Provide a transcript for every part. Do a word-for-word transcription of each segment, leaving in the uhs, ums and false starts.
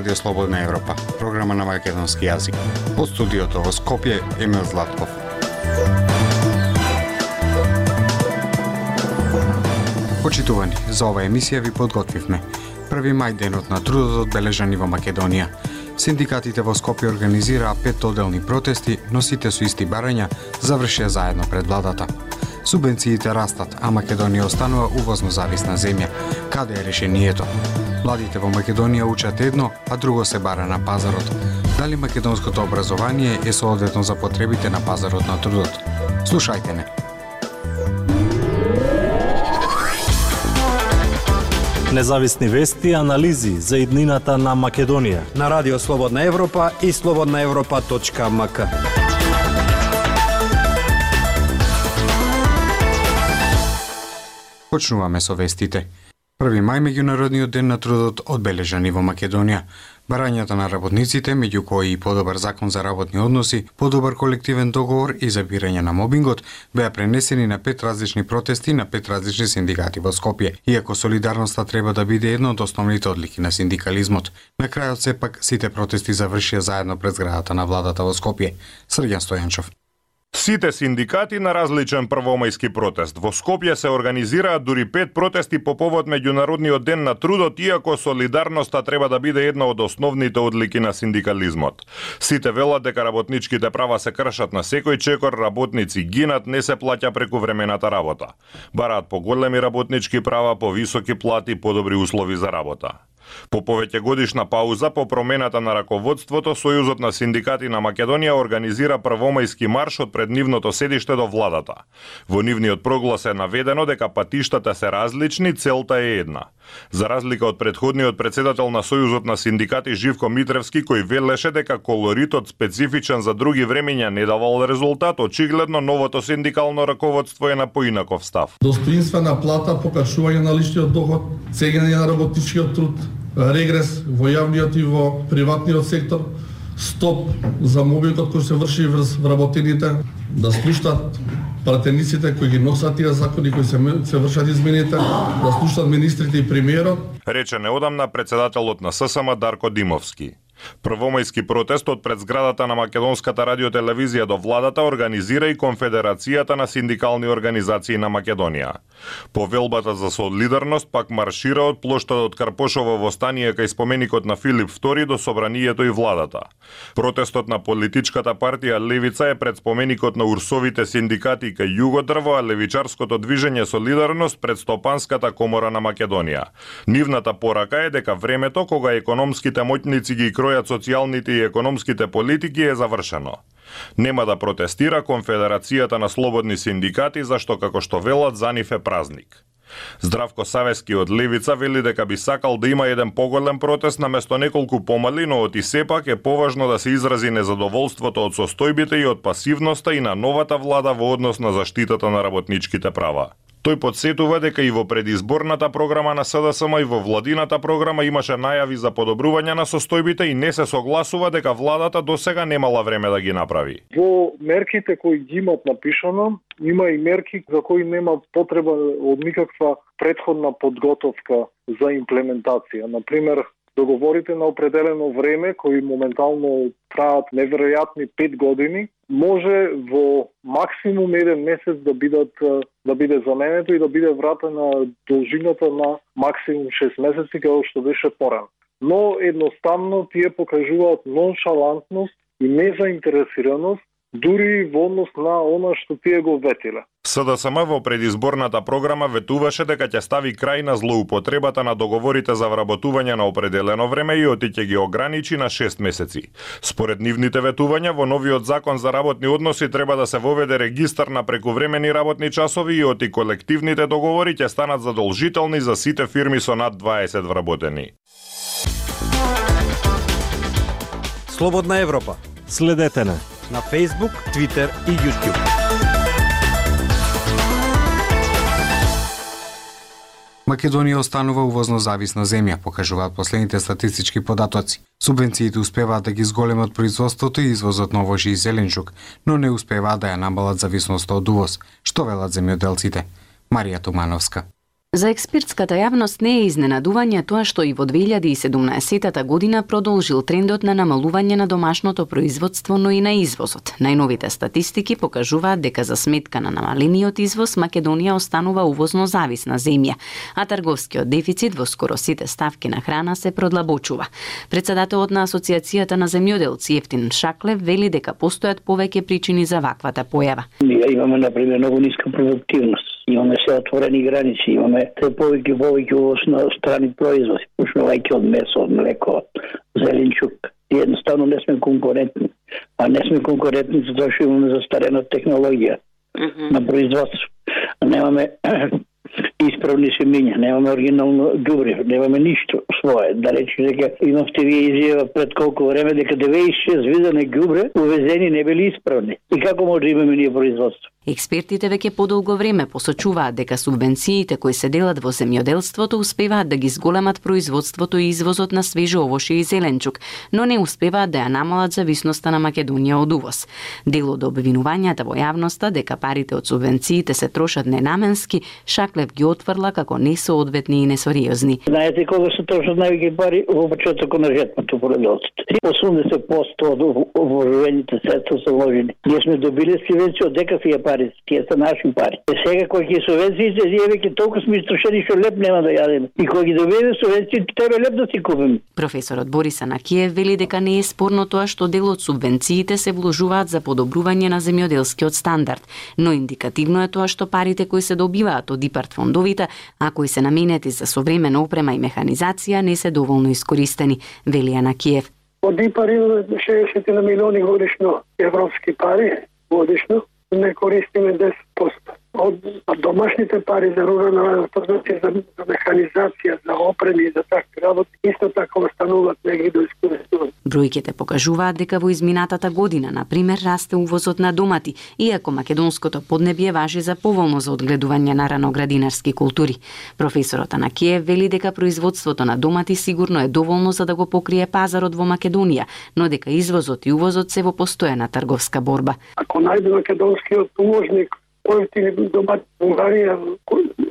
Радио Слободна Европа, програма на македонски јазик. Од студиото во Скопје, Емил Златков. Почитувани, за оваа емисија ви подготвивме први мај, денот на трудот одбележани во Македонија. Синдикатите во Скопје организираа пет оделни протести, но сите со исти барања завршија заедно пред владата. Субвенциите растат, а Македонија останува увозно зависна земја. Каде е решението? Младите во Македонија учат едно, а друго се бара на пазарот. Дали македонското образование е соодветно за потребите на пазарот на трудот? Слушајте не. Независни вести и анализи за иднината на Македонија на Радио Слободна Европа и слободна европа точка ем ка. Почнуваме со вестите. први мај, меѓународниот ден на трудот одбележани во Македонија. Барањата на работниците, меѓу кои и подобар закон за работни односи, подобар колективен договор и забирање на мобингот, беа пренесени на пет различни протести на пет различни синдикати во Скопје. Иако солидарноста треба да биде едно од основните одлики на синдикализмот, на крајот сепак сите протести завршија заедно пред зградата на владата во Скопје. Срѓан Стојанчов. Сите синдикати на различен првомајски протест. Во Скопје се организираат дури пет протести по повод меѓународниот ден на трудот, иако солидарноста треба да биде една од основните одлики на синдикализмот. Сите велат дека работничките права се кршат на секој чекор, работници гинат, не се плаќа прекувремената работа. Бараат поголеми работнички права, повисоки плати, подобри услови за работа. По повеќе годишна пауза по промената на раководството, Сојузот на синдикати на Македонија организира првомајски марш од пред нивното седиште до владата. Во нивниот проглас е наведено дека патиштата се различни, целта е една. За разлика од претходниот председател на Сојузот на синдикати Живко Митревски, кој велеше дека колоритот специфичен за други времења не давал резултат, очигледно новото синдикално раководство е на поинаков став. Достоинствена плата, покачување на личниот доход, цењење на работничкиот труд, регрес во јавниот и во приватниот сектор, стоп за мобингот кој се врши врз вработените, да слушнат пратениците кои ги носат тие закони, кои се, се вршат измените, да слушнат министрите и премиерот. Рече неодамна председателот на С С М Дарко Димовски. Првомајски протест од пред зградата на Македонската радиотелевизија до владата организира и Конфедерацијата на синдикални организации на Македонија. Повелбата за солидарност пак маршира од плоштадот Карпошово во стание кај споменикот на Филип втори до собранието и владата. Протестот на политичката партија Левица е пред споменикот на урсовите синдикати кај Југодрво, а левичарското движење Солидарност пред Стопанската комора на Македонија. Нивната порака е дека времето кога економските моќници ги кројат социјалните и економските политики е завршено. Нема да протестира Конфедерацијата на слободни синдикати, зашто како што велат за нив е празник. Здравко Савески од Левица вели дека би сакал да има еден поголем протест наместо неколку помали, но оти сепак е поважно да се изрази незадоволството од состојбите и од пасивноста и на новата влада во однос на заштитата на работничките права. Тој подсетува дека и во предизборната програма на С Д С М и во владината програма имаше најави за подобрување на состојбите и не се согласува дека владата досега немала време да ги направи. Во мерките кои ги имат напишано, има и мерки за кои нема потреба од никаква претходна подготовка за имплементација. Например, договорите на определено време, кои моментално траат неверојатни пет години, може во максимум еден месец да бидат да биде заменето и да биде вратена должината на максимум шест месеци, како што беше порано. Но едноставно тие покажуваат ноншалантност и незаинтересираност дури во однос на она што тие го ветиле. С Д С М во предизборната програма ветуваше дека ќе стави крај на злоупотребата на договорите за вработување на определено време и оти ќе ги ограничи на шест месеци. Според нивните ветувања, во новиот закон за работни односи треба да се воведе регистар на прекувремени работни часови и оти колективните договори ќе станат задолжителни за сите фирми со над дваесет вработени. Слободна Европа. Следете на на Facebook, Twitter и YouTube. Македонија останува увозно зависна земја, покажуваат последните статистички податоци. Субвенциите успеваат да ги зголемат производството и извозот на овошје и зеленчук, но не успеваат да ја намалат зависноста од увоз. Што велат земјоделците? Марија Тумановска. За експертската јавност не е изненадување тоа што и во две илјади и седумнаесетта година продолжил трендот на намалување на домашното производство, но и на извозот. Најновите статистики покажуваат дека за сметка на намалениот извоз Македонија останува увозно зависна земја, а трговскиот дефицит во скоро сите ставки на храна се продлабочува. Председателот на Асоциацијата на земјоделци Ефтин Шаклев вели дека постојат повеќе причини за ваквата појава. Ние имаме например многу ниска продуктивност. Имаме се отворени граници, имаме те повеќе повеќе увоз на страни производи, почнувајќи од месо, од млеко, зеленчук. И едноставно не сме конкурентни. А не сме конкурентни затоа што имаме застарена технологија mm-hmm. на производство. Немаме исправни семиња, немаме оригинално ѓубре, немаме ништо свое. Да речи дека имавте вие изјава пред колку време дека деветдесет и шест вида на ѓубре увезени не били исправни. И како може да имаме ние производство? Експертите веќе подолго време посочуваат дека субвенциите кои се делат во земјоделството успеваат да ги зголемат производството и извозот на свежо овошје и зеленчук, но не успеваат да ја намалат зависноста на Македонија од увоз. Дел од обвинувањата во јавноста дека парите од субвенциите се трошат ненаменски, Шаклев ги отфрла како несоодветни и несериозни. Знаете кога се трошат највеќе пари во почетокот на жетвото поредоците. осумдесет проценти од вооружените средства се вложени. Ние сме добили субвенција од дека се пари, тие се наши пари. Е сега кои ќе субвенциите, ние веќе толку сме истрошени што леп нема да јадеме. И кога ги добиеме субвенциите, треба леп да си купиме. Професорот Борис Анакиев вели дека не е спорно тоа што дел од субвенциите се вложуваат за подобрување на земјоделскиот стандард, но индикативно е тоа што парите кои се добиваат од ИПАРД фондовите, а кои се наменети за современа опрема и механизација, не се доволно искористени, вели Анакиев. Од ИПАРД имаме шеесет милиони годишно европски пари, годишно, не користиме десет проценти. Од домашните пари за рурална развој, за, за механизација, за опреми и за такви работи, исто така остануваат негде до искористување. Бројките покажуваат дека во изминатата година, на пример, расте увозот на домати, иако македонското поднебје важи за поволно за одгледување на раноградинарски култури. Професорот Анакиев вели дека производството на домати сигурно е доволно за да го покрие пазарот во Македонија, но дека извозот и увозот се во постојана трговска борба. Ако најде македонскиот увозник поевтини домати Унгарија,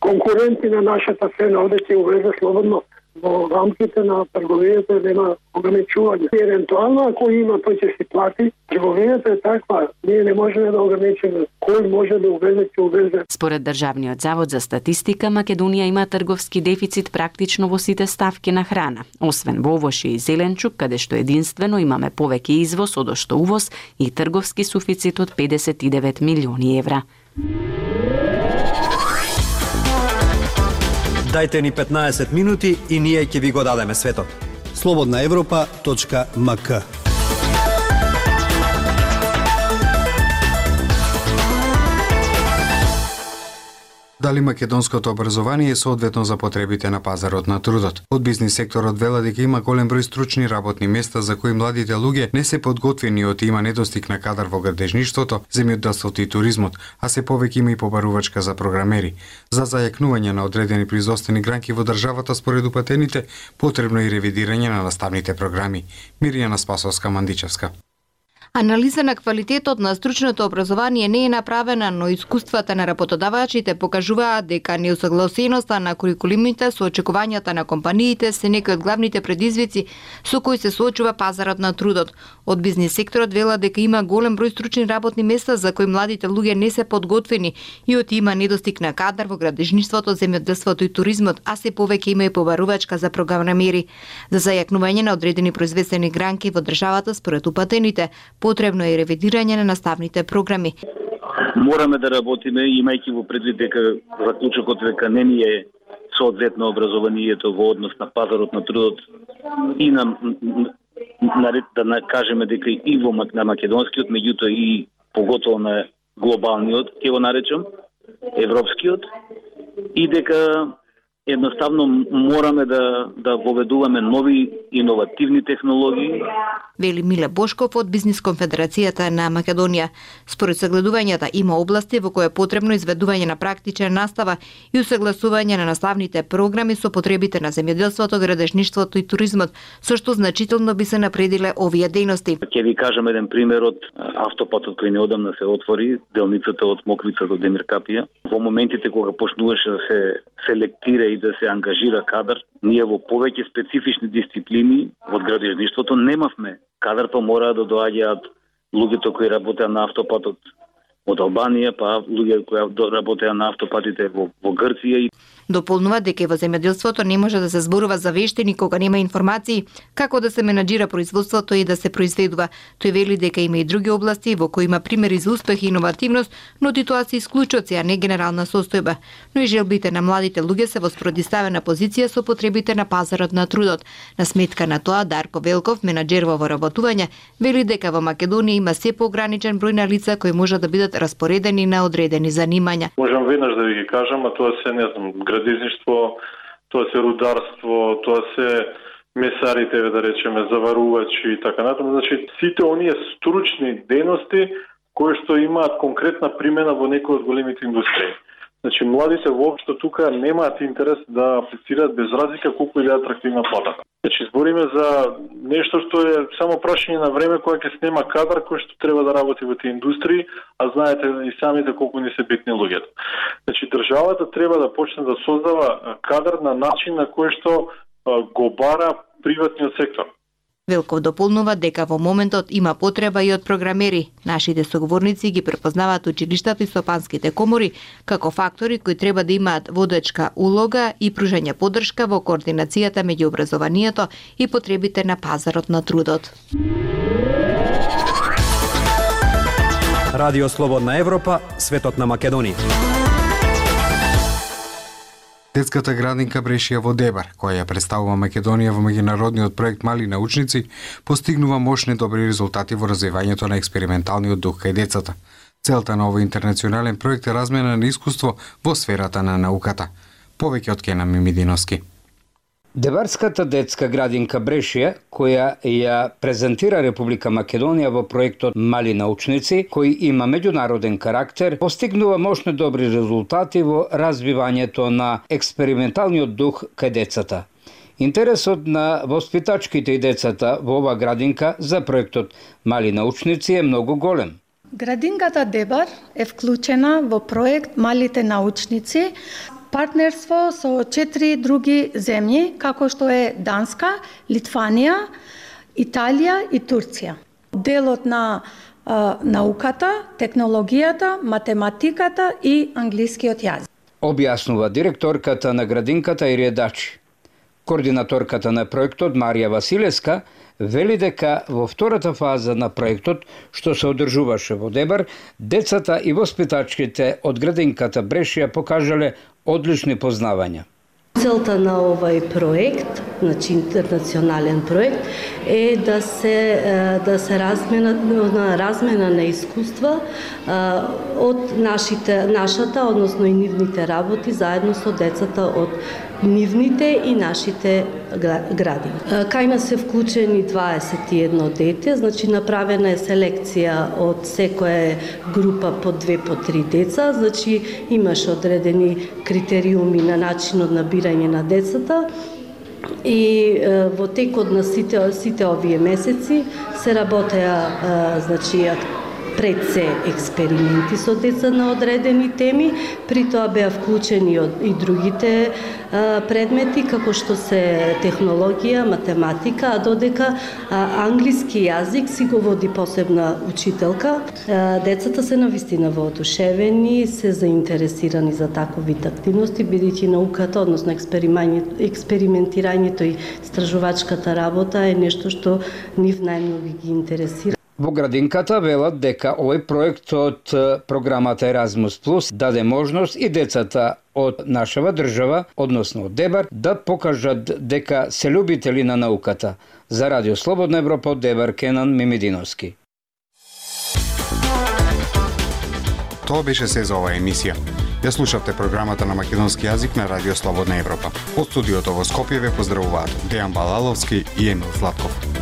конкуренти на нашата цена, оде ќе увезе слободно во рамките на трговијата, нема ограничување. Евентуално ако има, тој ќе си плати. Трговијата е таква, ние не можеме да ограничиме. Кој може да увезе, ќе увезе. Според Државниот завод за статистика, Македонија има трговски дефицит практично во сите ставки на храна, освен во овошје и зеленчук, каде што единствено имаме повеќе извоз од што увоз и трговски суфицит од педесет и девет милиони евра. Дајте ни петнаесет минути и ние ќе ви го дадеме светот. слободна европа точка ем ка. Дали македонското образование е соодветно за потребите на пазарот на трудот? Од бизнис секторот вела дека има голем број стручни работни места за кои младите луѓе не се подготвени од има недостиг на кадар во градежништвото, земјоделството и туризмот, а се повеќе има и побарувачка за програмери. За зајакнување на одредени производствени гранки во државата според упатените, потребно е и ревидирање на наставните програми. Мирјана Спасовска-Мандичевска. Анализа на квалитетот на стручното образование не е направена, но искуствата на работодавачите покажуваат дека неусогласеноста на курикулумите со очекувањата на компаниите се некои од главните предизвици со кои се соочува пазарот на трудот. Од бизнис секторот вела дека има голем број стручни работни места за кои младите луѓе не се подготвени и од има недостиг на кадар во градежништвото, земјоделството и туризмот, а се повеќе има и побарувачка за програмери. За зајакнување на одредени производствени гранки во државата според упатените, потребно е ревидирање на наставните програми. Мораме да работиме, имајќи во предвид дека заклучокот дека не ни е соодветно образованието во однос на пазарот на трудот и на, на да кажеме дека и во на македонскиот, меѓутоа и поготово на глобалниот, ќе го наречам, европскиот, и дека Едноставно мораме да да воведуваме нови иновативни технологии. Вели Миле Бошков од Бизнис конфедерацијата на Македонија. Според согледувањата има области во кои е потребно изведување на практична настава и усагласување на наставните програми со потребите на земјоделството, градежништвото и туризмот, со што значително би се напредиле овие дејности. Ќе ви кажам еден пример од автопатот кој неодамна се отвори, делницата од Моквица до Демиркапија. Во моментите кога почнуваше да се селектира и да се ангажира кадар, ние во повеќе специфични дисциплини од градежништвото немавме кадар, па мора да доаѓаат луѓето кои работеа на автопатот од Албанија, па луѓе кои работеа на автопатите во, во Грција. Дополнува дека во земјоделството не може да се зборува за вештини кога нема информации како да се менаџира производството и да се произведува. Тој вели дека има и други области во кои има примери за успех и иновативност, но тоа се исклучоци, а не генерална состојба. Но и желбите на младите луѓе се во спротивставена позиција со потребите на пазарот на трудот. На сметка на тоа, Дарко Велков, менаџер во воработување, вели дека во Македонија има се поограничен број на лица кои можат да бидат распоредени на одредени занимања. Можам веднаш да ви ги кажам, а тоа се, не знам, градежништво, тоа се рударство, тоа се месарите, да речеме, заварувачи и така натаму. Значи, сите оние стручни дејности кои што имаат конкретна примена во некои од големите индустрии. Значи, младите воопшто тука немаат интерес да аплицираат без разлика колку и да е атрактивна платата. Значи, збориме за нешто што е само прашање на време кога ќе снема кадар кој што треба да работи во тие индустрии, а знаете и самите колку ни се битни луѓето. Значи, државата треба да почне да создава кадар на начин на кој што го бара приватниот сектор. Велков дополнува дека во моментот има потреба и од програмери. Нашите соговорници ги препознаваат училиштата и стопанските комори како фактори кои треба да имаат водечка улога и пружање поддршка во координацијата меѓу образованието и потребите на пазарот на трудот. Радио Слободна Европа, светот на Македонија. Детската градинка Брешија во Дебар, која ја представува Македонија во меѓународниот проект Мали научници, постигнува мощни добри резултати во развивањето на експерименталниот дух кај децата. Целта на овој интернационален проект е размена на искуство во сферата на науката. Повеќе од Кенан Мимидиновски. Дебарската детска градинка Брешија, која ја презентира Република Македонија во проектот Мали научници, кој има меѓународен карактер, постигнува мощни добри резултати во развивањето на експерименталниот дух кај децата. Интересот на воспитачките и децата во ова градинка за проектот Мали научници е многу голем. Градинката Дебар е вклучена во проект Малите научници, партнерство со четири други земји, како што е Данска, Литванија, Италија и Турција. Делот на а, науката, технологијата, математиката и англискиот јазик. Објаснува директорката на градинката Ирија Дачи. Координаторката на проектот Марија Василевска вели дека во втората фаза на проектот, што се одржуваше во Дебар, децата и воспитачките од градинката Брешија покажале одлични познавања. Целта на овај проект, значи интернационален проект, е да се да се размена на размена на искуства од нашите нашата, односно и нивните работи заедно со децата од нивните и нашите градини. Кај нас се вклучени дваесет и едно дете, значи направена е селекција од секоја група по две по три деца, значи имаше одредени критериуми на начинот на бирање на децата. И е, во текот на сите сите овие месеци се работеа значи пред се експерименти со деца на одредени теми, при тоа беа вклучени и другите а, предмети, како што се технологија, математика, а додека а, англиски јазик си го води посебна учителка. А, децата се навистина воодушевени, се заинтересирани за таков вид активности, бидејќи науката, односно експериментирањето и истражувачката работа е нешто што нив најмногу ги интересира. Во градинката велат дека овој проект од програмата Еразмус Плюс даде можност и децата од нашава држава, односно од Дебар, да покажат дека се љубители на науката. За Радио Слободна Европа од Дебар, Кенан Мимидиновски. Тоа беше се за оваа емисија. Ја слушавте програмата на македонски јазик на Радио Слободна Европа. Од студиото во Скопје ве поздравуваат Дејан Балаловски и Емил Златков.